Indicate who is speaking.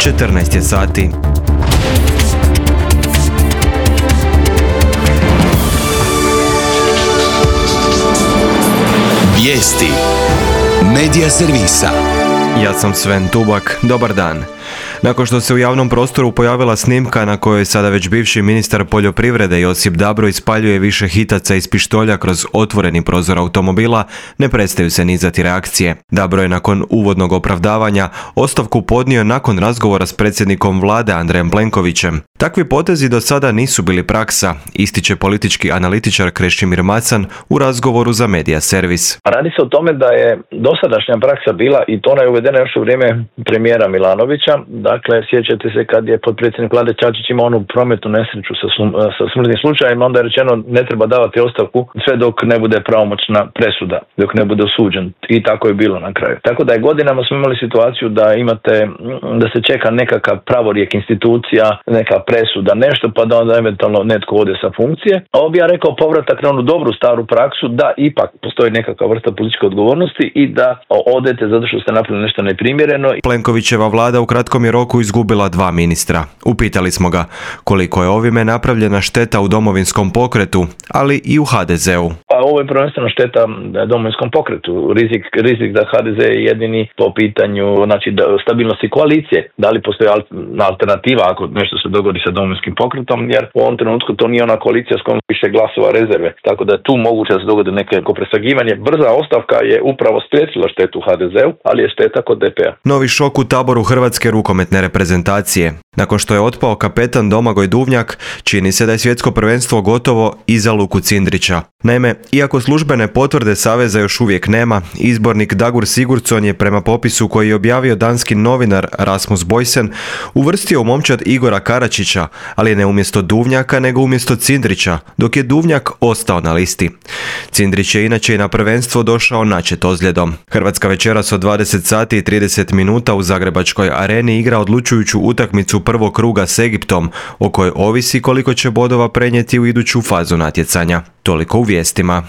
Speaker 1: 14 je sati.
Speaker 2: Vijesti Medija servisa.
Speaker 1: Ja sam Sven Tubak, dobar dan. Nakon što se u javnom prostoru pojavila snimka na kojoj sada već bivši ministar poljoprivrede Josip Dabro ispaljuje više hitaca iz pištolja kroz otvoreni prozor automobila, ne prestaju se nizati reakcije. Dabro je nakon uvodnog opravdavanja ostavku podnio nakon razgovora s predsjednikom vlade Andrejem Plenkovićem. Takvi potezi do sada nisu bili praksa, ističe politički analitičar Krešimir Macan u razgovoru za Medija servis.
Speaker 3: Radi se o tome da je dosadašnja praksa bila, i to ona je uvedena još u vrijeme premijera Milanovića. Dakle, sjećate se kad je potpredsjednik vlade Čačić imao onu prometnu nesreću sa smrtnim slučajem, onda je rečeno ne treba davati ostavku sve dok ne bude pravomoćna presuda, dok ne bude osuđen. I tako je bilo na kraju. Tako da je godinama smo imali situaciju da se čeka nekakav pravorijek institucija, neka presuda, nešto, pa da onda eventualno netko ode sa funkcije. Ovo bi ja rekao povratak na onu dobru staru praksu da ipak postoji nekakva vrsta političke odgovornosti i da odete zato što ste napravili nešto neprimjereno.
Speaker 1: Plenkovićeva vlada u kratkom je roku izgubila 2 ministra. Upitali smo ga koliko je ovime napravljena šteta u Domovinskom pokretu, ali i u HDZ-u.
Speaker 3: Pa ovo je prvenstveno šteta Domovinskom pokretu. Rizik da HDZ je jedini po pitanju stabilnosti koalicije. Da li postoji alternativa ako nešto se dogodi sa Domovinskim pokretom, jer u ovom trenutku to nije ona koalicija s kojom više glasova rezerve. Tako da je tu moguće da se dogodi neko presagivanje. Brza ostavka je upravo spriječila štetu HDZ-u, ali je šteta kod DP-a.
Speaker 1: Novi šok u taboru hrvatske rukometne reprezentacije. Nakon što je otpao kapetan Domagoj Duvnjak, čini se da je svjetsko prvenstvo gotovo i za Luku Cindrića. Naime, iako službene potvrde saveza još uvijek nema, izbornik Dagur Sigurdsson je prema popisu koji je objavio danski novinar Rasmus Boysen uvrstio u momčad Igora Karačića, ali ne umjesto Duvnjaka nego umjesto Cindrića, dok je Duvnjak ostao na listi. Cindrić je inače i na prvenstvo došao načet ozljedom. Hrvatska večeras od 20 sati i 30 minuta u Zagrebačkoj areni igra odlučujuću utakmicu prvog kruga s Egiptom, o kojoj ovisi koliko će bodova prenijeti u iduću fazu natjecanja. Toliko u vijestima.